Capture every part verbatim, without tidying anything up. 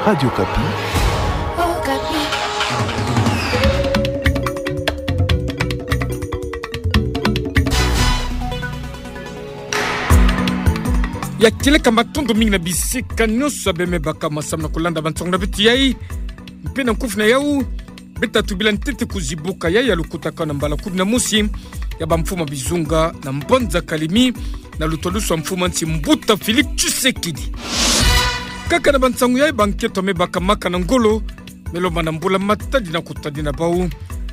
Radio Okapi. Ya kieleka matondo mingi na bisika nyonso ya bemebaka masamu na kulanda bansangu na beto yai. Mpe na nkufi na yau, beta tubila ntete kuzibuka yai ya lukutakanu na mbala kumi na mosi ya bamfumu ya bizunga na mbanza Kalemi, na lutalusu ya mfumu ya nsi Mbuta Félix Tshisekedi. Kaka na bansangu yai, bankento me bakamaka na ngolo me lomba na mbula matadi na kutadina bau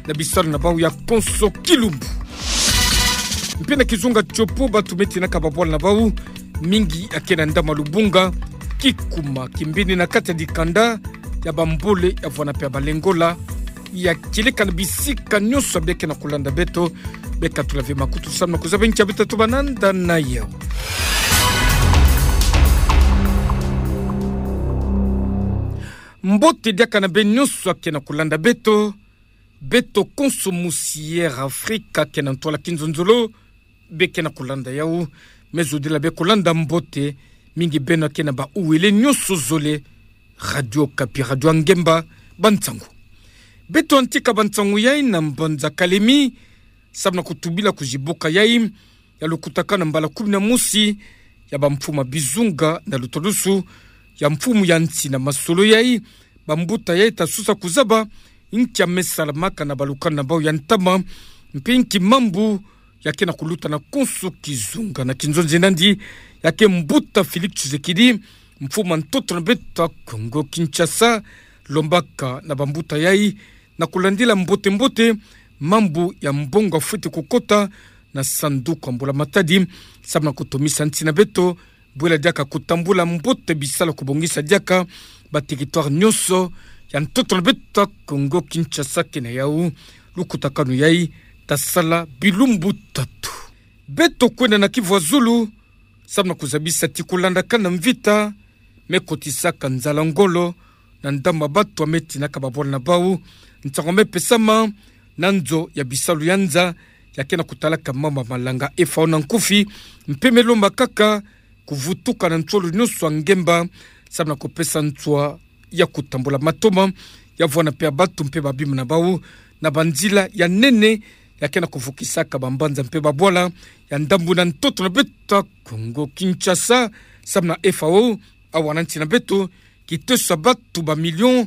na bisalu na bau ya konso kilumbu. Mpe na kizunga Tshopo, batu me tinaka babwala na bau mingi ya ke na ndambu ya lubunga, kikuma kimbini na kati ya dikanda ya bambole ya vwana mpe ya balengola. Ya kieleka na bisika nyonso ya bia ke na kulanda beto, beka tula ve makutu samu na kuzaba nki ya beta tubana nda na yau. Mbote diaka na beno nyonso ya ke na kulanda beto. Beto konso musi Air Afrika ke na ntwala kinzonzolo, bia ke na kulanda yau. Me zodila bia kulanda mbote, mingi beno ya ke na bauwele nyonso zole. Radio Okapi, radio ya ngemba, bansangu. Beto yantika bansangu yai na mbanza Kalemi, samu na kutubila kuzibuka yai ya lukutakanu na mbala kumi na mosi ya bamfumu ya bizunga na lutalusu ya mfumu ya nsi na masolo yai. Bambuta yai ta sosa kuzaba nki ya me salamaka na balukanu na bau ya ntama, mpe nki mambu ya ke na kuluta na konso kizunga. Na kinzonzi nandi ya ke Mbuta Félix Tshisekedi, mfumu ya ntoto na beto ya Kongo Kinshasa, lombaka na bambuta yai na kulandila mbote-mbote mambu ya mbongo ya fweti kukota na sanduku ya mbula matadi, samu na kutomisa nsi na beto, bwela diaka kutambula mbote bisalu ya kubongisa diaka ba territoire nyonso ya ntoto na beto ya Kongo Kinshasa. Ke na yau, lukutakanu yai ta sala bilumbu tatu. Beto kwenda na Kivu ya zulu, samu na kuzabisa ti kulandakana na mvita me kotisaka nzala ngolo na ndambu ya batu ya me tinaka babwala na bau. Nsangu me pesama na nzo ya bisalu ya nza ya ke na kutalaka mambu ya malanga, F A O na nkufi, mpe me lomba kaka kuvutuka na nsolo nyonso ya ngemba, samu na kupesa nswa ya kutambula matoma ya vwana mpe ya batu mpe babima na bau na banzila ya nene ya ke na kuvukisaka bambanza mpe babwala ya ndambu na ntoto na beto ya Kongo Kinshasa, samu na F A O, awa na nsi na beto, kiteso ya batu ba million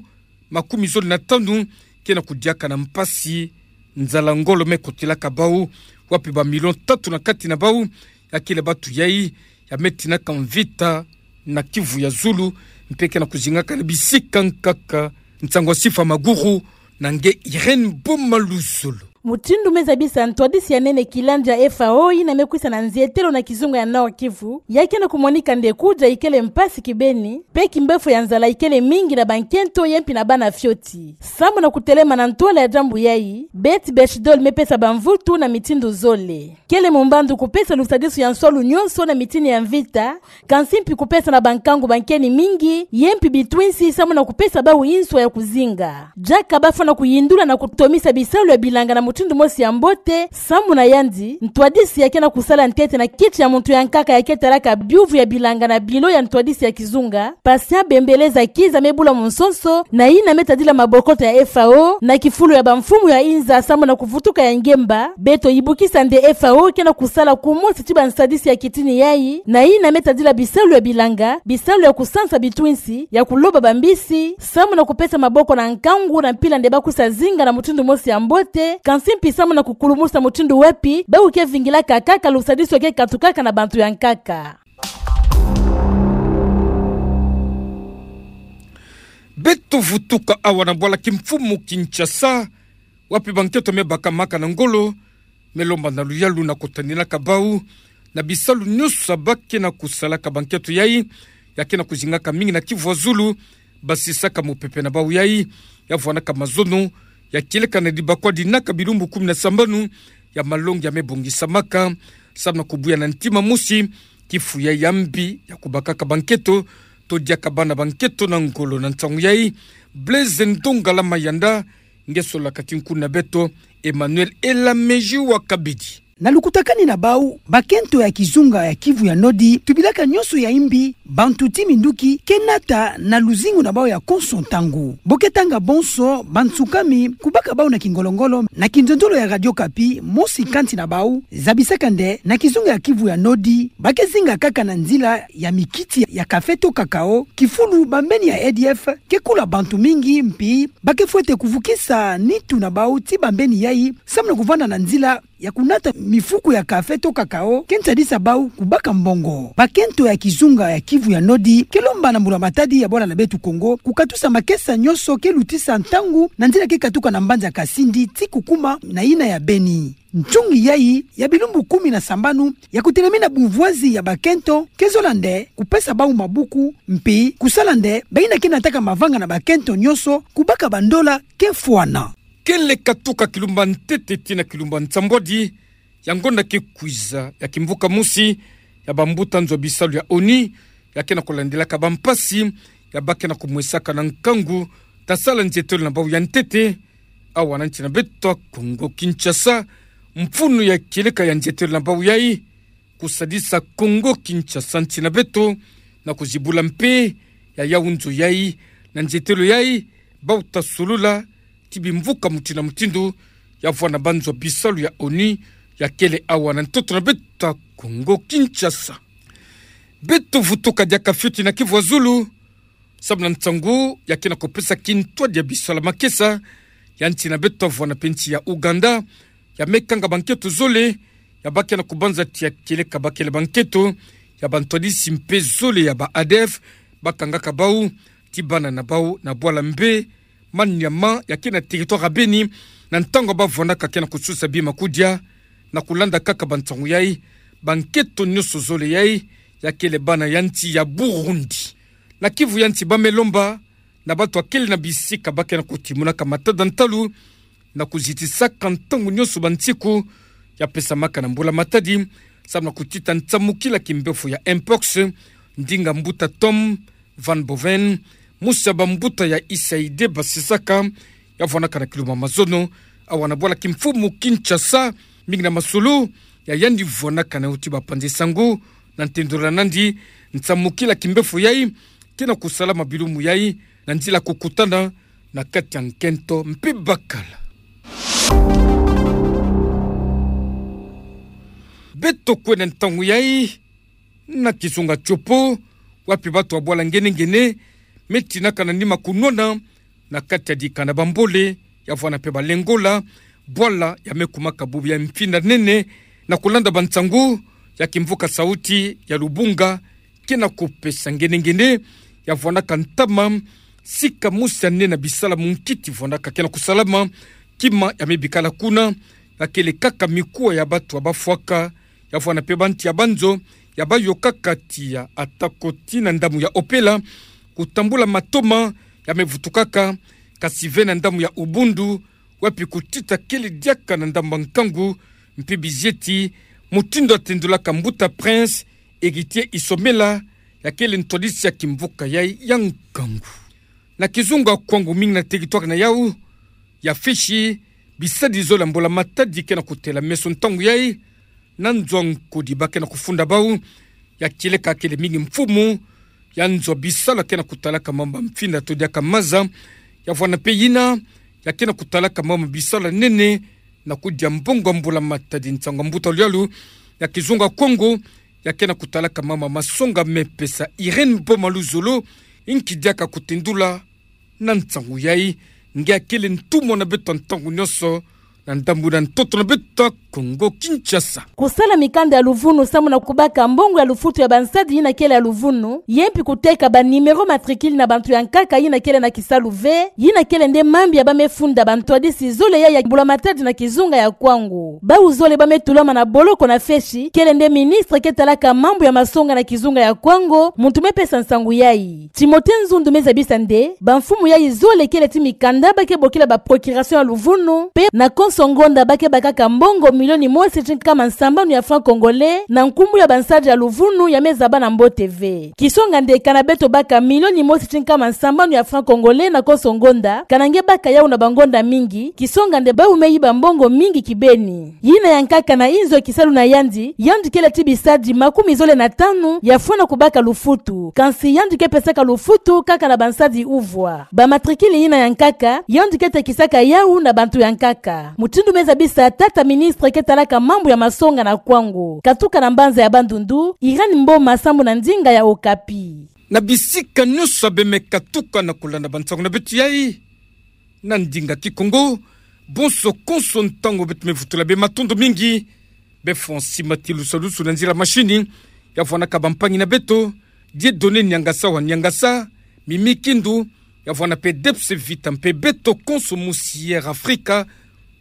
makumi zole na tanu ke na kudiaka na mpasi. Nzala ngolo me kotilaka bau, wapi ba million tatu na kati na bau ya kele batu yai ya me tinaka mvita na Kivu ya zulu, mpe ke na kuzingaka na bisika nkaka. Nsangu ya Sifa Maguru na nge Irène Boma Luzolo. Mutindu me zabisa ntwadisi ya nene kilandi ya F A O yina me kwisa na nzietelo na kizunga ya Nord-Kivu, ya ke na kumonika nde kudia ikele mpasi kibeni, mpe kimbefo ya nzala ikele mingi na bankento yempi na bana fioti. Samu na kutelema na ntwala ya diambu yai, Beth Bechdol me pesa bamvutu na mitindu zole. Kele mumbandu kupesa lusadisu ya nswalu nyonso na mitini ya mvita, kansi mpi kupesa na bankangu bankeni mingi, yempi bitwinsi, samu na kupesa bau nswa ya kuzinga. Diaka bafwana kuyindula na kutomisa bisalu ya bilanga na mutindu mosi ya mbote, samu na yandi, ntwadisi ya ke na kusala ntete na kiti ya muntu ya nkaka ya ke talaka biuvu ya bilanga na bilo ya ntwadisi ya kizunga, Patient Bembeleza Kiza me bula munsonso, na yina me tadila mabokoto ya F A O, na kifulu ya bamfumu ya inza, samu na kuvutuka ya ngemba. Beto yibukisa nde F A O ke na kusala kumosi ti bansadisi ya kitini yai, na yina me tadila bisalu ya bilanga, bisalu ya kusansa bitwinsi, ya kuloba bambisi, samu na kupesa maboko na nkangu na mpila nde bakwisa zinga na mutindu mosi ya mbote, kansi mpi samu na kukulumusa mutindu wapi bau ke vingilaka kaka lusadisu ya ke katukaka na bantu ya nkaka. Beto vutuka awa na bwala kimfumu Kinshasa, wapi bankento me bakamaka na ngolo, me lomba na luyalu na kutandinaka bau na bisalu nyonso ya ba ke na kusalaka. Bankento yai ya ke na kuzingaka mingi na Kivu ya zulu, basisaka mupepe na bau yai ya vwanaka mazono, ya kieleka na dibakwa dinaka bilumbu kumi na sambanu ya malongi ya me bongisamaka, samu na kubuya na ntima mosi kifu yai ya mbi ya kubakaka bankento, to diaka bana bankento na ngolo. Na nsangu yai, Blaise Ndongala Mayanda, nge solaka ti nkuna beto, Emmanuel Elameji wa Kabidi. Na lukutakani na bau, bakento ya kizunga ya Kivu ya Nodi tubilaka nyonso ya imbi, bantu ti minduki ke nata na luzingu na bau ya konso ntangu. Bo ke tanga bonso, bansukami kubaka bau na kingolongolo na kinzonzolo ya Radio Okapi, mosi kati na bau zabisaka nde na kizunga ya Kivu ya Nodi ba ke zinga kaka na nzila ya mikiti ya kafe to kakao, kifulu bambeni ya A D F ke kula bantu mingi, mpi ba ke fwete kuvukisa nitu na bau ti bambeni yai samu na kuvanda na nzila ya kunata mifuku ya kafe to kakao ke nsadisa bau kubaka mbongo. Bakento ya kizunga ya Kivu ya Nodi ke lomba na Mbula Matadi ya bwala na beto Kongo kukatusa makesa nyonso ke lutisa ntangu na nzila ke katuka na mbanza Kasindi ti kukuma na yina ya Beni. Ntungi yai ya bilumbu kumi na sambanu ya kutelemena bumvwazi ya bakento ke zola nde kupesa bau mabuku, mpi kusala nde bayina ke nataka mavanga na bakento nyonso kubaka bandola ke fwana. Kele katuka kilumba ntete tii na kilumba nsambwadi, ya ngonda ke kwiza ya kimvuka mosi ya bambuta nzo ya bisalu ya ONU ya ke na kulandilaka bampasi ya ba ke na kumwesaka na nkangu ta sala nzietelo na bau ya ntete awa na nsi na beto Kongo Kinshasa. Mfunu ya kieleka ya nzietelo na bau yai kusadisa Kongo Kinshasa, nsi na beto, na kuzibula mpe ya yau nzo yai na nzietelo yai bau ta solula ti bimvuka mutindu na mutindu ya vwanda banzo ya bisalu ya ONU ya kele awa na ntoto na beto Kongo Kinshasa. Beto vutuka diaka fioti na Kivu ya Zulu samu na nsangu ya ke na kupesa kintwadi ya bisalu ya makesa ya nsi na beto vwanda mpe nsi ya Ouganda ya me kanga bankento zole ya ba ke na kubanza tii ya kieleka bakele bankento ya bantwadisi mpe zole ya ba ADF ba kangaka bau ti bana na bau na bwala mbe Maniama ya ke na territoire ya Beni, na ntangu ba vwandaka ke na kususa bima kudia. Na kulanda kaka bansangu yai, bankento nyonso zole yai ya kele bana ya nsi ya Burundi. Na Kivu ya nsi ba me lomba na bato ya kele na bisika ba ke na kutimunaka matada ntalu na kuzitisaka ntangu nyonso bansiku ya pesamaka na Mbula Matadi samu na kutita nsamukila kimbefo ya mpox, ndinga mbuta Tom Van Boven, mosi ya bambuta ya USAID basisaka, ya vwandaka na kilumbu ya mazono awa na bwala kimfumu Kinshasa, mingi na masolo ya yandi vwandaka na yo ti bapanzi sango, na ntendola nandi nsamukila kimbefo yai ke na kusalama bilumbu yai na nzila kukutana na kati ya nkento mpe bakala. Beto kwenda ntangu yai na kizunga Tshopo, wapi bato ya bwala Ngene-Ngene me tinaka na nima kunwana na kati ya dikanda Bambole, ya vwanda mpe Balengola, bwala ya me kumaka bubu ya mfinda nene, na kulanda bansangu ya kimvuka sauti ya Lubunga ke na kupesa. Ngene-Ngene ya vwandaka ntama sika mosi ya nene ya bisala munkiti vwandaka ke na kusalama, kima ya me bikala kuna ya kele kaka mikuwa ya bato ya bafwaka, ya vwanda mpe bantu ya banzo ya bayokaka tiya, atako tii na ndambu ya Opela, kutambula matoma ya me vutukaka, kasi ve na ndambu ya Ubundu, wapi kutita kele diaka na ndambu ya nkangu, mpe bizieti, mutindu ya tendulaka mbuta Prince Héritier Isomela, ya kele ntwadisi ya kimvuka yai ya nkangu. Na kizunga Kwango, mingi na territoire na yau ya Fishi, bisadi zole ya Mbula Matadi ke na kutela meso ntangu yai na nzo ya nkudi ba ke na kufunda bau, ya kieleka kele mingi mfumu ya nzo ya bisala ke na kutalaka mambu ya mfinda to diaka maza, ya vwanda mpe yina ya ke na kutalaka mambu ya bisala nene na kudia mbongo ya Mbula Matadi. Nsangu ya mbuta lyalu ya kizunga Kwango ya ke na kutalaka mambu ya masonga me pesa, Irène Boma Luzolo, inki diaka kutendula na nsangu yai, nge ya kele ntumwa na beto ntangu nyonso na ndambu na ntoto na beto Kongo Kinshasa. Kusala mikanda ya luvunu samu na kubaka mbongo ya lufutu ya bansadi yina kele ya luvunu, ye mpi kuteka ba numéro matricule na bantu ya nkaka yina kele na kisalu ve, yina kele nde mambu ya ba me funda bantwadisi zole yai ya Mbula Matadi na kizunga ya Kwango. Bau zole ba me tulama na boloko na Fishi kele nde ministre ke talaka mambu ya masonga na kizunga ya Kwango, muntu me pesa nsangu yai. Timothée Nzundu me zabisa nde bamfumu yai zole kele ti mikanda ba ke bokila ba procuration ya luvunu, mpe na konso konso ngonda ba ke bakaka mbongo milioni mosi ti nkama nsambanu ya francs congolais na nkumbu ya bansadi ya luvunu ya me zaba na mbote ve. Kisonga nde kana beto baka milioni mosi ti nkama nsambanu ya francs congolais na konso ngonda, kana nge baka yawu na bangonda mingi, kisonga nde bawu me yiba mbongo mingi kibeni. Yina ya nkaka na inzo kisalu na yandi, yandi kele ti bisadi makumi zole na tanu ya fwana kubaka lufutu. Kansi yandi ke pesaka lufutu kaka na bansadi uvwa. Ba matricule yina ya nkaka, yandi ke tekisaka yawu na bantu ya nkaka. Mutindu me zabisa tata ministre ke talaka mambu ya masonga na Kwango, katuka na mbanza ya Bandundu, Irène Mboma sambu na ndinga ya Okapi. Na bisika nyonso ya be me katuka na kulanda bansangu na beto yayi na ndinga Kikongo, bonso konso ntangu beto me vutula be matondo mingi. Be Francis Matilusalusu na nzila machine, ya vwanaka bampangi na beto, Dieudonné Niangasa wa Niangasa, Mimi Kindu, ya vwana pe Debs Vita mpe beto konso musi Air Afrika,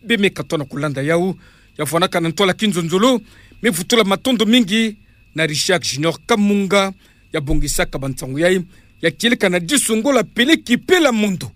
be me katona kulanda yawu, ya vwanaka na ntwala kinzonzolo. Me vutula matondo mingi na Richard Junior Kamunga, ya bongisaka bansangu yayi, ya kieleka na disu ngola peleki pela mondo.